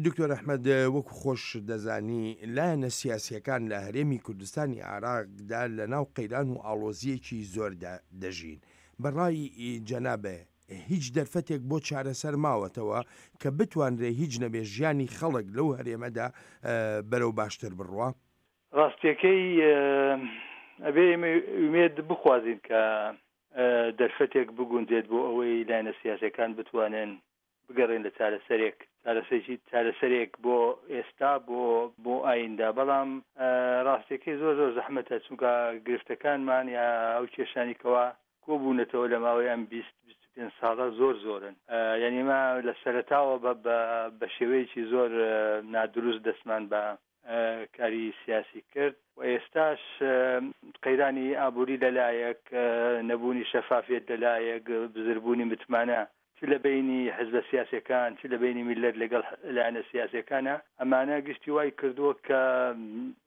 دکتۆر ئەحمەد وەکو خۆشت دەزانی لایەنە سیاسییەکان لە هەرێمی کوردستانی عێراقدا لە ناو قەیران و ئاڵۆزییەکی زۆردا دەژین. بە ڕای جەنابت هیچ دەرفەتێک بۆ چارەسەر ماوەتەوە کە بتوانرێ هیچ نەبێ ژیانی خەڵک لەو هەرێمەدا بەرەو باشتر بڕوا؟ ڕاستیەکەی ئەبێ ئێمە ئومێد بخوازین کە دەرفەتێک بگونجێت بۆ ئەوەی لایەنە سیاسەکان بتوانن بگەڕێن لە چارەسەرێک چارەسەرێکی چارەسەرێک بۆ ئێستا بۆ بۆ ئایندە بەڵام ڕاستیەکەی زۆر زۆر زەحمەتە چونکە گرفتەکانمان یا ئەو کێشانی کەوا کۆبوونەتەوە لە ماوەی ئەم 20 25 ساڵە زۆر زۆرن یعنی ما لە سەرەتاوە بە بە شێوەیەکی زۆر نادروست دەستمان بە کاری سیاسی کرد و ئێستاش قەیرانی ئابووری لەلایەک، نەبوونی شەفافیەت لەلایەک، بزربوونی متمانە چ لە بەینی حزبە سیاسیەکان چ لە بەینی میللەت لەگەڵ لایەنە سیاسیەکانە، ئەمانە گشتی وای کردووە کە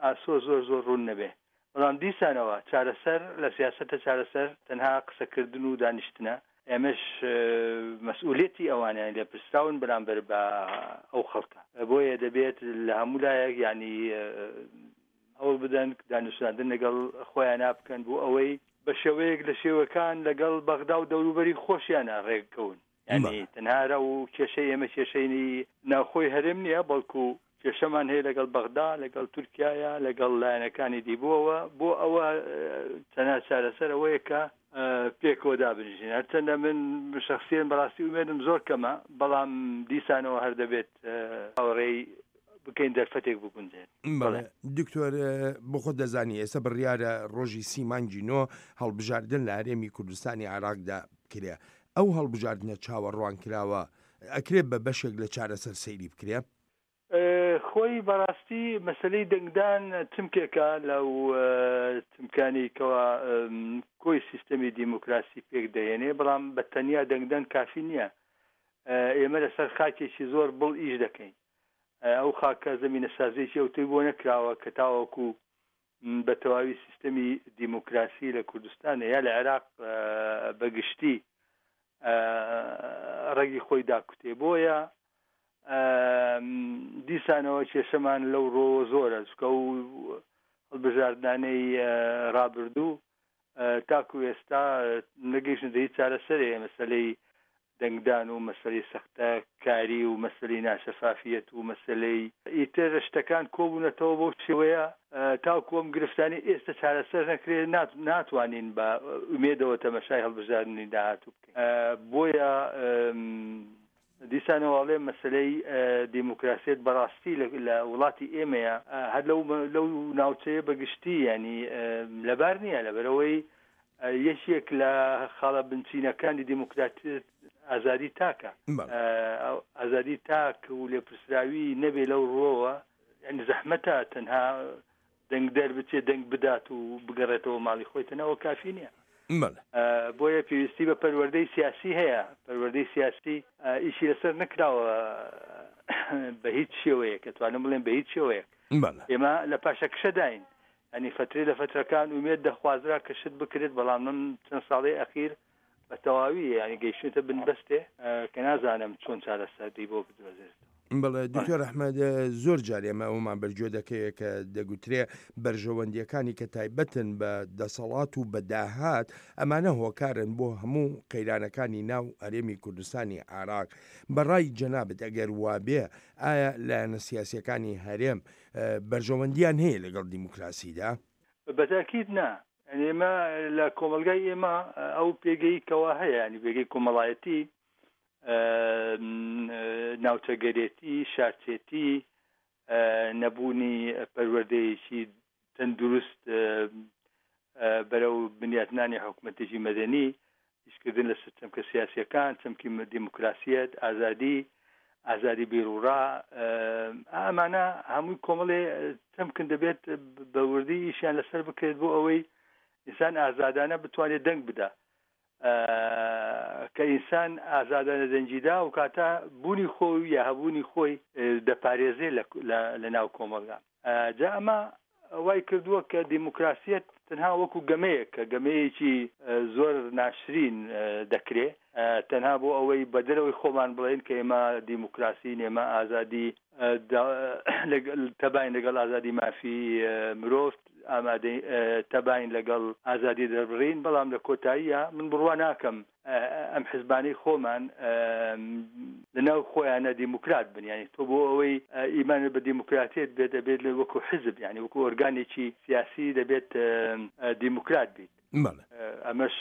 ئاسۆ زۆر زۆر ڕوون نەبێ. بەڵام دیسانەوە چارەسەر لە سیاسەتە چارەسەر تەنها قسەکردن و دانیشتنە، ئێمەش مەسئولیەتی ئەوانە یانی لێپرسراون بەرامبەر بە ئەو خەڵکە بۆیە دەبێت لە هەموو لایەک یانی هەوڵ بدەن دانوساندن لەگەڵ خۆیانا بکەن بۆ ئەوەی بە شێوەیەک لە شێوەکان لەگەڵ بەغدا و دەوروبەری خۆشیانە ڕێککەون یانی تەنها ئەو کێشەی ئێمە کێشەی ناوخۆی هەرێم نییە بەڵکو کێشەمان هەیە لەگەڵ بەغدا لەگەڵ تورکایە لەگەڵ لایەنەکانی دی بۆەوە بۆ ئەوە تەنها چارەسەر ئەوەیە کە پێکەوە دابنیشین هەرچەندە من شخصیان بەڕاستی ئومێدم زۆر کەمە بەڵام دیسانەوە هەر دەبێت هاوڕێی بکەین دەرفەتێک بگونجێت. بەڵێ دکتۆر بۆ خۆت دەزانی ئێستا بڕیارە ڕۆژی سی مانگی نۆ هەڵبژاردن لە هەرێمی کوردستانی عێراقدا بکرێ ئەو هەڵبژاردنە چاوەڕوانکراوە ئەکرێ بە بەشێک لە چارەسەر سەیری بکرێ؟ خۆی بەڕاستی مەسەلەی دەنگدان چمکێکە لەو چمکانی کەوا کۆی سیستەمی دیموکراسی پێک دەهێنێ بەڵام بە تەنیا دەنگدان کافی نییە ئێمە لەسەر خاکێکی زۆر بڵ ئیش دەکەین ئەو خاکە زەمینەسازیەکی ئەوتۆی بۆ نەکراوە کە تاوەکو بە تەواوی سیستەمی دیموکراسی لە کوردستان یا لە عێراق بە گشتی ڕەگی خۆی داکوتێ بۆیە دیسانەوە کێشەمان لەو ڕۆوە زۆرە چکە و هەڵبژاردنانەی ڕابردوو تاکو ئێستا نەگەیشتنەتە هیچ چارەسەرێ مەسەلەی دەنگدان و مەسەلەی سەختە کاری و مەسەلەی ناشەفافیەت و مەسەلەی ئیتر شتەکان کۆبوونەتەوە بەو شێوەیە تاکو ئەم گرفتانەی ئێستا چارەسەر نەکرێت ناتوانین بە ئومێدەوە تەمەشای هەڵبژاردنی داهاتوو بکەین بۆیە دیسانەوە ئەڵێم مەسەلەی دیموکراسیەت بەڕاستی لە وڵاتی ئێمەیە هەر لەو لەو ناوچەیە بە گشتی ینی لەبار نییە لەبەرەوەی یەکێک لە خاڵە بنچینەکانی دیموکراتیت ئازادی تاکە ئازادی تاک و لێپرسراوی نەبێ لەو ڕووەوە یعنی زەحمەتە تەنها دەنگدەر بچێت دەنگ بدات و بگەڕێتەوە ماڵی خۆی تەنها ئەوە کافی نییە. بەڵێ. بۆیە پێویستی بە پەروەردەی سیاسی هەیە، پەروەردەی سیاسی ئیشی لەسەر نەکراوە بە هیچ شێوەیەک، ئەتوانم بڵێم بە هیچ شێوەیەک. بەڵێ. ئێمە لە پاشەکشەداین، یانی فەترەی لە فەترەکان ئومێد دەخوازرا کە شت بکرێت، بەڵام لەم چەند ساڵەی ئەخیر بە تەواوی یانی گەیشتوینەتە بن بەستێ کە نازانم چۆن چارەسەری بۆ بدۆزرێتەوە. بەڵێ دکتۆر ئەحمەد زۆر جار ئێمە ئەومان بەرگوێ دەکەوێت کە دەگوترێ بەرژەوەندیەکانی کە تایبەتن بە دەسەڵات و بە داهات ئەمانە هۆکارن بۆ هەموو قەیرانەکانی ناو هەرێمی کوردستانی عێراق بەڕای جەنابت ئەگەر وابێ ئایا لایەنە سیاسیەکانی هەرێم بەرژەوەندیان هەیە لەگەڵ دیموکراسیدا؟ بەتاکید نا یانی ئێمە لە کۆمەڵگای ئێمە ئەو پێگەی کەوا هەیە ینی پێگەی کۆمەڵایەتی ناوچەگەرێتی شارچێتی نەبوونی پەروەردەیەکی تەندروست بەرەو بنیاتنانی حکوومەتێکی مەدەنی ئیشکردن لەسەر چەمکە سیاسیەکان، چەمکی دیموکراسیەت، ئازادی، ئازادی بیروڕا، ئەمانە هەمووی کۆمەڵێ چەمکن دەبێت بە وردی ئیشیان لەسەر بکرێت بۆ ئەوەی ئینسان ئازادانە بتوانێت دەنگ بدا کە ئینسان ئازادانە دەنگیدا و کاتە بوونی خۆی یا هەبوونی خۆی دەپارێزێ لە ناو کۆمەڵگا جا ئەمە وای کردووە کە دیموکراسیەت تەنها وەکو گەمەیەک کە گەمەیەکی زۆر ناشرین دەکرێ تەنها بۆ ئەوەی بە دەرەوەی خۆمان بڵێن کە ئێمە دیموکراسین، ئێمە ئازادی تەباین لەگەڵ ئازادی مافی مرۆڤ، ئامادەی تەباین لەگەڵ ئازادی دەربڕین، بەڵام لە کۆتاییە من بڕوا ناکەم ئەم حزبانەی خۆمان لەناو خۆیانە دیموکرات بن. یعنی تۆ بۆ ئەوەی ئیمانت بە دیموکراتیت بێت دەبێت لە وەکو حزب، یعنی وەکو ئۆرگانێکی سیاسی دەبێت دیموکرات بیت. ئەمەش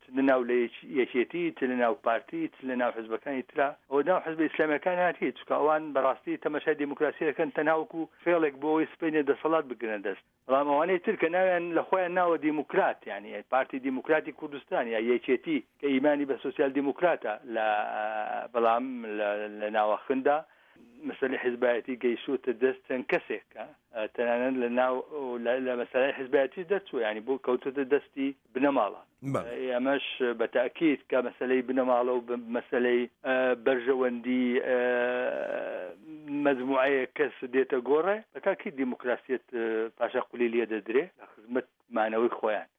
چ لە ناو لە یەکێتی، چ لە ناو پارتی، چ لە ناو حزبەکانی ترا، ئەوە ناو حزبە ئیسلامیەکان هات هیچ، چونکە ئەوان بەڕاستی تەماشای دیموکراسی دەکەن تەنها وەکو فێڵێک بۆ ئەوەی سبەینێ دەسەڵات بگرنە دەست. بەڵام ئەوانەی تر کە ناویان لە خۆیان ناوە دیموکرات، یانی پارتی دیموکراتی کوردستان یا یەکێتی کە ئیمانی بە سۆسیال دیموکراتە لە بەڵام لە ناوەخندا مەسەلەی حزبایەتی گەیشتووەتە دەست چەند کەسێک تەنانەت لە ناو لە مەسەلەی حزبایەتیش دەرچووە، یانی بۆ کەوتووەتە دەستی بنەماڵە. ئەمەش بە تاکید کە مەسەلەی بنەماڵە و مەسەلەی بەرژەوەندی مەجموعەیەک کەس دێتە گۆڕێ، بە تاکید دیموکراسیەت پاشا قولی لێ دەدرێ لە خزمەت مانەوەی خۆیان.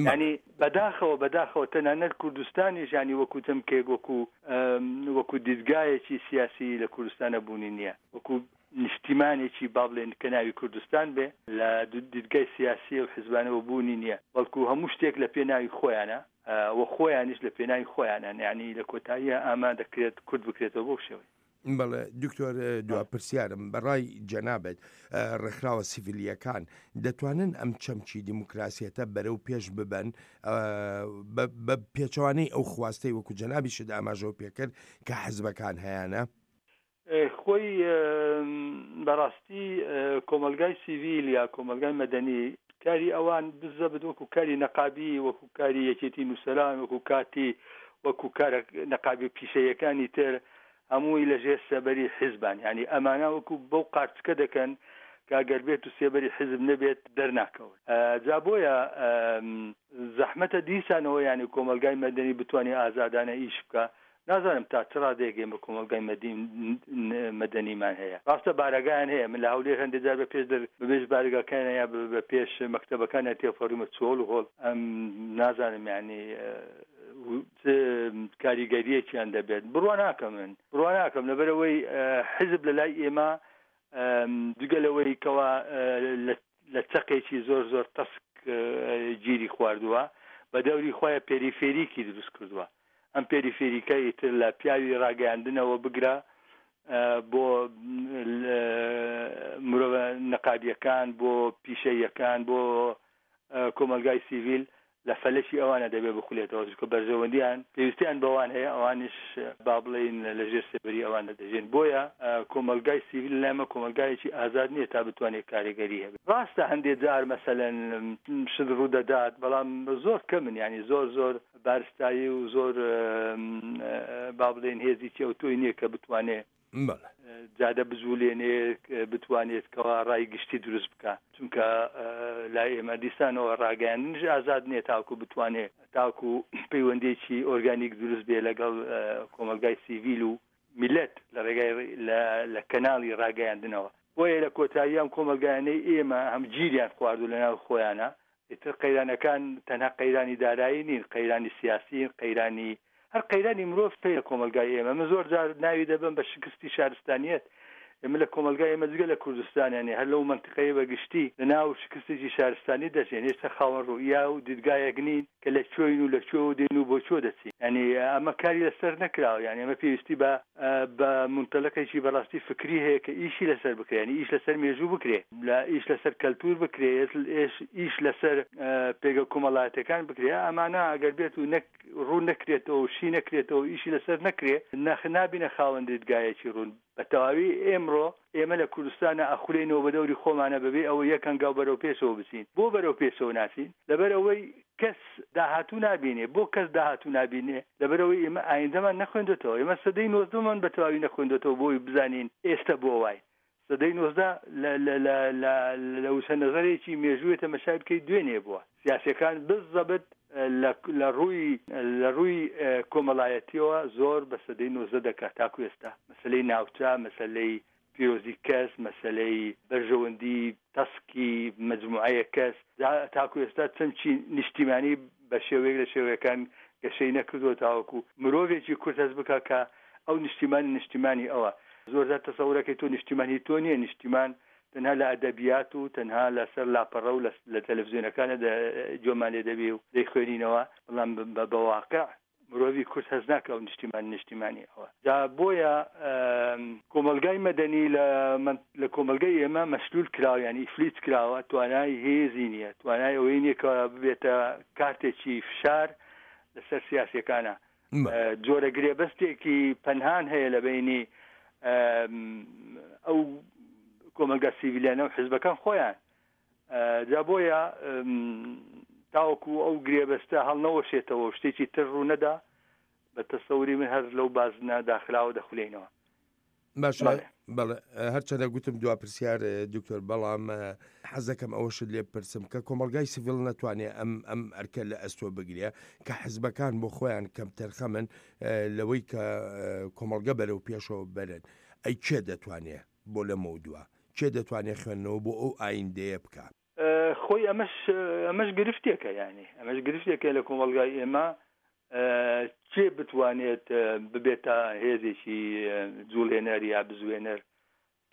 یانی بەداخەوە بەداخەوە تەنانەت کوردستانیش یانی وەکو چەمکێک وەکو وەکو دیدگایەکی سیاسی لە کوردستانە بوونی نییە، وەکو نیشتیمانێکی با بڵێن کە ناوی کوردستان بێ لە دیدگای سیاسی و حزبانەوە بوونی نییە، بەڵکو هەموو شتێک لە پێناوی خۆیانە و خۆیانیش لە پێناوی خۆیانن، یانی لە کۆتاییە ئاما دەکرێت کورت بکرێتەوە بەو شێوەیە. بەڵێ دکتۆر دوا پرسیارم بەڕای جەنابت ڕێکخراوە سیڤیلییەکان دەتوانن ئەم چەمکی دیموکراسیەتە بەرەو پێش ببەن بە پێچەوانەی ئەو خواستەی وەکو جەنابیشت ئاماژەو پێکرد کە حزبەکان هەیانە؟ خۆی بەڕاستی کۆمەڵگای سیڤیل یا کۆمەڵگای مەدەنی کاری ئەوان بزەبت وەکو کاری نەقابی، وەکو کاری یەکێتی نووسەران، وەکو کاتی وەکو کارە نەقابی پیشەیەکانی تر هەمووی لە ژێر سێبەری حیزبان، یانی ئەمانە وەکو بەو قارچکە دەکەن کە گەر بێت و سێبەری حیزب نەبێت دەرناکەون. جا بۆیە زەحمەتە دیسانەوە یانی کۆمەڵگای مەدەنی بتوانێت ئازادانە ئیش بکا. نازانم تا چ ڕادەیەک ئێمە کۆمەڵگای مەدەنیمان هەیە. ڕاستە بارەگایان هەیە، من لە هەولێر هەندێک جار بە پێش دەر بە پێش بارەگاکانیان یا بە پێش مەکتەبەکانیان تێپەڕیومە چۆڵ و هۆڵ، ئەم نازانم یانی چ کاریگەرییەکیان دەبێت. بڕوا ناکەم من بڕوا ناکەم، لەبەرئەوەی حیزب لە لای ئێمە جگە لەوەی کەوا لە چەقێکی زۆر زۆر تەسک گیری خواردووە، بە دەوری خۆی پێریفێریکی دروست کردووە. ئەم پێریفێریکە ئیتر لە پیاوی ڕاگەیاندنەوە بگرە بۆ مرۆڤە نەقابیەکان، بۆ پیشەییەکان، بۆ کۆمەڵگای سیڤیل لە فەلەکی ئەوانە دەبێ بخولێتەوە، چونکە بەرژەوەندیان پێویستیان بەوان هەیە، ئەوانیش با بڵێین لە ژێر سێبەری ئەواندا دەژێن. بۆیە کۆمەڵگای سیڤیل لای ئێمە کۆمەڵگایەکی ئازاد نییە تا بتوانێت کارێگەری هەبێت. ڕاستە هەندێ جار مەسەلەن شت ڕوو دەدات، بەڵام زۆر کەمن، یانی زۆر زۆر بارستایی و زۆر با بڵێین هێزیکی ئەوتۆی نییە کە بتوانێ جادە بجولێنێ، بتوانێت کەوا ڕای گشتی دروست بکا، چونکە لای ئێمە دیسانەوە ڕاگەیاندنیش ئازاد نییە تاکو بتوانێ تاکو پەیوەندیەکی ئۆرگانیک دروست بێ لەگەڵ کۆمەڵگای سیڤیل و میلەت لە ڕێگای لە کەناڵی ڕاگەیاندنەوە. بۆیە لە کۆتایی ئەم کۆمەڵگایانەی ئێمە هەم گیریان خواردو لەناو خۆیانە، ئیتر قەیرانەکان تەنها قەیرانی دارایی نین، قەیرانی سیاسین، قەیرانی هەر قەیرانی مرۆڤ هەیە لە کۆمەڵگای ئێمە. من زۆر جار ناوی دەبەم بە شکستی شارستانیەت. ئێمە لە کۆمەڵگای ئێمە جگە لە کوردستان یانی هەر لەو مەنتیقەیە بە گشتی لە ناو شکستێکی شارستانی دەژێن. هێشتا خاوەن ڕوئیا و دیدگایەک نین کە لە کوێین و لە کوێوە دێین و بۆ کوێ دەچین. یانی ئەمە کاری لەسەر نەکراوە. یانی ئەمە پێویستی بە بە مونتەلەقێکی بەڕاستی فکری هەیە کە ئیشی لەسەر بکرێ. یانی ئیش لەسەر مێژوو بکرێ، لە ئیش لەسەر کەلتوور بکرێ، ئیش لەسەر پێگە کۆمەڵایەتیەکان بکرێ. ئەمانە ئەگەر بێت و نەک ڕوون نەکرێتەوە و شی نەکرێتەوە و ئیشی لەسەر نەکرێ، نەخ نابینە خاوەن دیدگایەکی ڕوون. بە تەواوی ئێمڕۆ ئێمە لە کوردستانا ئەخولێینەوە بە دەوری خۆمانا بەبێ ئەوەی یەک هەنگاو بەرەو پێشەوە بچین. بۆ بەرەو پێشەوە ناچین؟ لەبەر ئەوەی کەس داهاتوو نابینێ. بۆ کەس داهاتوو نابینێ؟ لەبەر ئەوەی ئێمە ئایندەمان نەخوێندۆتەوە. ئێمە سەدەی نۆزدەمان بە تەواوی نەخوێندۆتەوە بۆ ئەوەی بزانین ئێستە بۆ واین. سەدەی 19 لە لە لە لە لە وشە نەزەرێکی مێژووێ تەمەشای بکەی دوێنێ بووە. سیاسیەکان بزەبت لە لە ڕووی لە ڕووی کۆمەڵایەتیەوە زۆر بە سەدەی 19 دەکا تاکو ئێستا. مەسەلەی ناوچە، مەسەلەی. پیرۆزی کەس، مەسەلەی بەرژەوەندی تەسکی مەجموعەیەک کەس، تاکو ئێستا چەمکی نیشتیمانی بە شێوەیەک لە شێوەکان گەشەی نەکردووە تاوەکو مرۆڤێکی کورد هەست بکا کە ئەو نیشتیمانی نیشتیمانی ئەوە. زۆرجار تەسەورەکەی تۆ نیشتیمان هی تۆ نییە، نیشتیمان تەنها لە ئەدەبیات و تەنها لەسەر لاپەڕە و لە تەلەفزیۆنەکانە گوێمان لێ دەبێ و دەیخوێنینەوە، بەڵام بە واقع مرۆڤی کورد هەست ناکا ئەو نیشتیمان نیشتیمانی ئەوە. جا بۆیە کۆمەڵگای مەدەنی لە لە کۆمەڵگای ئێمە مەشلول کراوە یانی ئیفلیج کراوە، توانای هێزی نییە، توانای ئەوەی نییە کە ببێتە کارتێکی فشار لەسەر سیاسیەکانە. جۆرە گرێبەستێکی پەنهان هەیە لە بەینی ئەو کۆمەڵگا سیڤیلیانە و حزبەکان خۆیان. جا بۆیە تاوەکو ئەو گرێبەستە هەڵنەوەشێتەوە و شتێکی تر ڕوونەدا بە تەسەوری من هەر لەو بازنە داخراوە دەخولێینەوە. باشە بەڵێ هەرچەندە گوتم دوا پرسیار دکتۆر بەڵام حەزەکەم ئەوەشت لێ بپرسم کە کۆمەڵگای سیڤیل نەتوانێ ئەم ئەم ئەرکە لە ئەستۆ بگرێ کە حزبەکان بۆ خۆیان کەمتەرخەمن لەوەی کە کۆمەڵگە بەرەو پێشەوە بەرن ئەی کێ دەتوانێ بۆ لەمەودوا کێ دەتوانێ خوێندنەوە بۆ ئەو ئایندەیە بکا؟ خۆی ئەمەش ئەمەش گرفتێکە یانی ئەمەش گرفتێکە لە کۆمەڵگای ئێمە کێ بتوانێت ببێتە هێزێکی جوڵێنەر یا بزوێنەر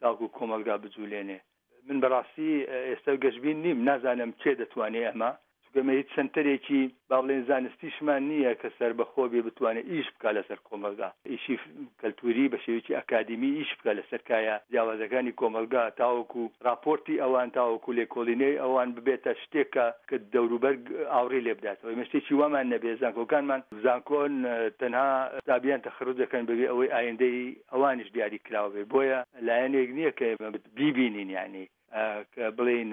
تاکو کۆمەڵگا بجولێنێ من بەڕاستی ئێستا گەشبین نیم نازانم کێ دەتوانێ ئەمە چونکە ئێمە هیچ سەنتەرێکی با بڵێین زانستیشمان نییە کە سەربەخۆ بێ بتوانێت ئیش بکا لەسەر کۆمەڵگا، ئیشی کەلتووری بە شێوەیەکی ئەکادیمی ئیش بکا لەسەر کایە جیاوازەکانی کۆمەڵگا تاوەکو ڕاپۆرتی ئەوان تاوەکو لێکۆڵینەوەی ئەوان ببێتە شتێک کە کە دەوروبەر ئاوڕی لێ بداتەوە. ئێمە شتێکی وامان نەبێ زانکۆکانمان زانکۆن تەنها قوتابیان تەخەروج دەکەن بەبێ ئەوەی ئایندەی ئەوانیش دیاری کراوە بێ بۆیە لایەنێک نییە کە ئێمە بیبینین یانی کە بڵێین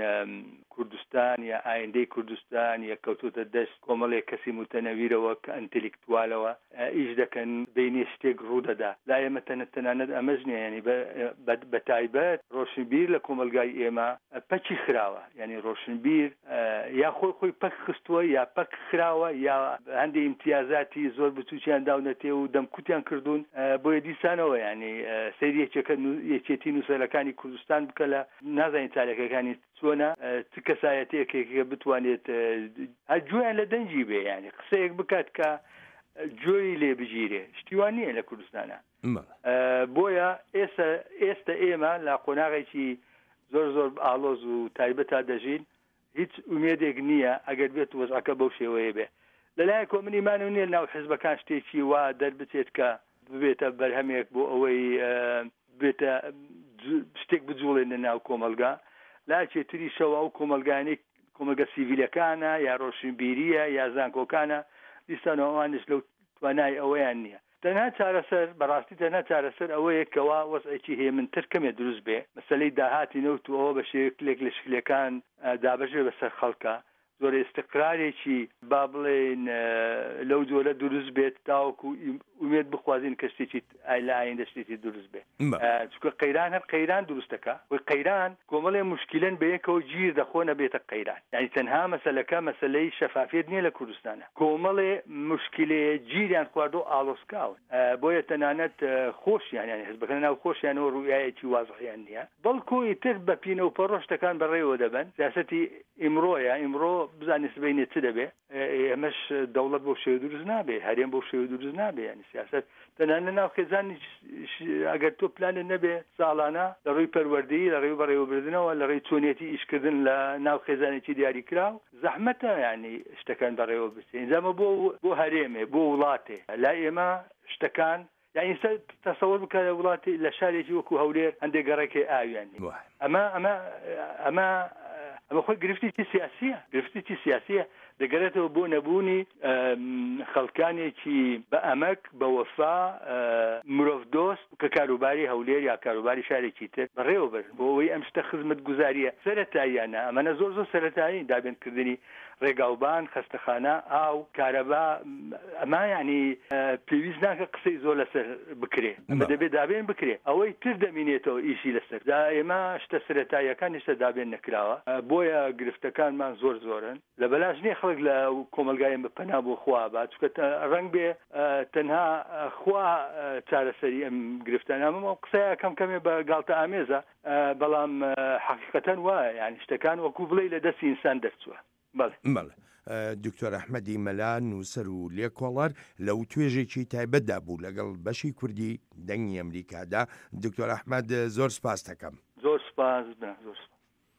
کوردستان یا ئایندەی کوردستان یا کەوتۆتە دەست کۆمەڵێک کەسی موتەنەویرەوە کە ئەنتێلیکتوالەوە ئیش دەکەن بینێ شتێک ڕوودەدا لا ئێمە تەنە تەنانەت ئەمەش نییە یانی بە تایبەت ڕۆشنبیر لە کۆمەڵگای ئێمە پەکی خراوە یانی ڕۆشنبیر یا خۆی خۆی پەک خستووە یا پەک خراوە یا هەندێ ئیمتیازاتی زۆر بچووکیان داونەتێ و دەمکوتیان کردوون بۆیە دیسانەوە یانی سەیری یەکێکە یەکێتی نووسەرەکانی کوردستان بکە لە نازانین چالەکەکانی چۆنە چ کەسایەتێکێکە بتوانێت هەر گوێیان لە دەنگی بێ یانی قسەیەک بکات کە گوێی لێ بگیرێ شتی وا نییە لە کوردستانە بۆیە ئێستا ئێستا ئێمە لە قۆناغێکی زۆر زۆر ئاڵۆز و تایبەتا دەژین هیچ ئومێدێک نییە ئەگەر بێت وەزعەکە بەو شێوەیە بێ. لەلایەکەوە من ئیمانم نییە لەناو حزبەکان شتێکی وا دەربچێت کە ببێتە بەرهەمێک بۆ ئەوەی بێتە شتێک بجوڵێنە ناو کۆمەڵگا. لایەکی تریشەوە ئەو کۆمەڵگانەی کۆمەڵگە سیڤیلەکانە یا ڕۆشنبیرییە یا زانکۆکانە دیسانەوە ئەوانیش لەو توانای ئەوەیان نییە. تەنها چارەسەر، بەڕاستی تەنها چارەسەر ئەوەیە کەوا وەزعێکی هێمنتر کەمێ دروست بێ، مەسەلەی داهاتی نەوت و ئەوە بە شێوەیەکلێک لە شکلەکان دابەش بێ بەسەر خەڵکا، جۆرە ئیستقرارێکی با بڵێین لەو جۆرە دروست بێت تاوەکو ئومێد بخوازین کە شتێکی لە ئایندە شتێکی دروست بێ. چونکە قەیران هەر قەیران دروست دەکا، خۆی قەیران کۆمەڵێ موشکیلەن بەیەکەوە گیر دەخۆن ئەبێتە قەیران، یانی تەنها مەسەلەکە مەسەلەی شەفافیەت نیە لە کوردستانا. کۆمەڵێ موشکیلەیە گیریان خواردوو ئاڵۆزکاون بۆیە تەنانەت خۆشیان یانی حزبەکە لەناو خۆشیانەوە ڕوئیایەکی وازحیان نیە بەڵکو ئیتر بە پینە و پەڕۆ شتەکان بەڕێوە دەبەن سیاسەتی ئیمڕۆیە ئیمڕۆ بزانین سبەینێ چ دەبێ ئەمەش دەوڵەت بەو شێوە دروست نابێ هەرێم بەو شێوە دروست نابێ یانی سیاسەت تەنانەت ناو خێزانیش ئەگەر تۆ پلانت نەبێ ساڵانە لە ڕووی پەروەردەیی لە ڕێی بەڕێوەبردنەوە لە ڕێی چۆنیەتی ئیشکردن لە ناو خێزانێکی دیاریکراو زەحمەتە یانی شتەکان بەڕێوە بچێ ئینجا ئەمە بۆ بۆ هەرێمێ بۆ وڵاتێ لای ئێمە شتەکان یانی ئێستا تەسەوەر بکە لە وڵاتی لە شارێکی وەکو هەولێر هەندێک گەڕەک هەیە ئاویان نییە ئەمە ئەمە ئەمە ئەمە خۆی گرفتێکی سیاسیە گرفتێکی سیاسیە دەگەرێتەوە بۆ نەبوونی خەڵکانێکی بە ئەمەک بە وەفا مرۆڤ دۆست کە کاروباری هەولێر یا کاروباری شارێکی تر بەڕێوە بەرن بۆ ئەوەی ئەم شتە خزمەتگوزارییە سەرەتاییانە، ئەمانە زۆر زۆر سەرەتایین، دابینکردنی ڕێگاوبان، خەستەخانە، ئاو، کارەبا، ئەمە یانی پێویست ناکە قسەی زۆر لەسەر بکرێ، ئەمە دەبێ دابین بکرێ، ئەوەی تر دەمینێتەوە ئیشی لەسەر، جا ئێمە شتە سەرەتاییەکان هێشتا دابین نەکراوە، بۆیە. بۆیە گرفتەکانمان زۆر زۆرن. لە بەلاش نیە خەڵک لە کۆمەڵگای ئێمە پەنا بۆ خوا با، چونکە ڕەنگ بێ تەنها خوا چارەسەری ئەم گرفتانە. ئەمە ئەو قسەیە کەم کەمێ بە گاڵتە ئامێزە، بەڵام حەقیقەتەن وایە، یانی شتەکان وەکوو بڵێی لە دەستی ئینسان دەرچووە. بەڵێ. بەڵێ. دکتۆر ئەحمەدی مەلا نووسەر و لێکۆڵەر لە وتوێژێکی تایبەتدا بوو لەگەڵ بەشی کوردی دەنگی ئەمریکادا. دکتۆر ئەحمەد زۆر سپاست دەکەم. زۆر سپاس برا، زۆر سپاس.